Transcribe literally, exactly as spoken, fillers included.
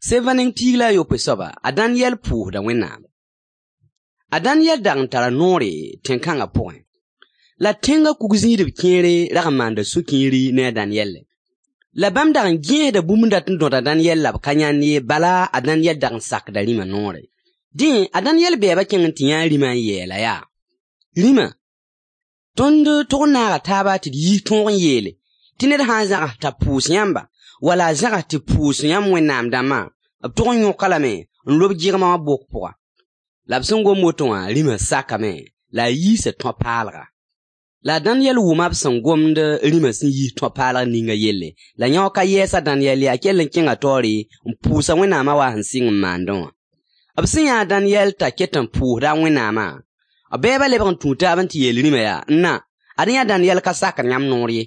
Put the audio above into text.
Sevã neng piig la a yopoe soaba, a Daniyɛl pʋʋsda Wẽnnaam. A Daniyɛl dag n tara noore tẽn-kãngã pʋgẽ. La tẽngã kug-zĩisdb kẽere rag n maanda sũ-kiiri ne a Daniyɛlle. La bãmb dag n gẽesda bũmb n dat n dõd a Daniyɛl la b ka yãnd ye, bala a Daniyɛl dag n sakda rĩmã noore. Dẽ, a Daniyɛl bɛɛba kẽng n tɩ yã a rĩmã n yeel-a yaa: Rĩma, tõnd tog n naaga taaba tɩ d yiis tõog n yeele tɩ ned sã n zãgs t'a pʋʋs yãmba wala a zãgs tɩ pʋʋs yãmb wẽnnaam dãmbã, b tog n yõk-a lame n lob gɩgmã wã bok pʋga. La b sẽn gom woto wã, rĩmã sakame la a yiisa tõ-paalga. La a Daniyɛl wʋma b sẽn gomd rĩmã sẽn yiis tõ-paalg ninga yelle, la yão ka yɛɛs a Daniyɛl ye, a kell n kẽnga taoore n pʋʋs a Wẽnnaamã wa sẽn sɩng n maandẽ wã. B sẽn yã a Daniyɛl t'a ket n pʋʋsda a Wẽnnaamã, b bɛɛba lebg n tũu taab n tɩ yeel rĩmã yaa: N na, ad yã Daniyɛl ka sakd yãmb noor ye.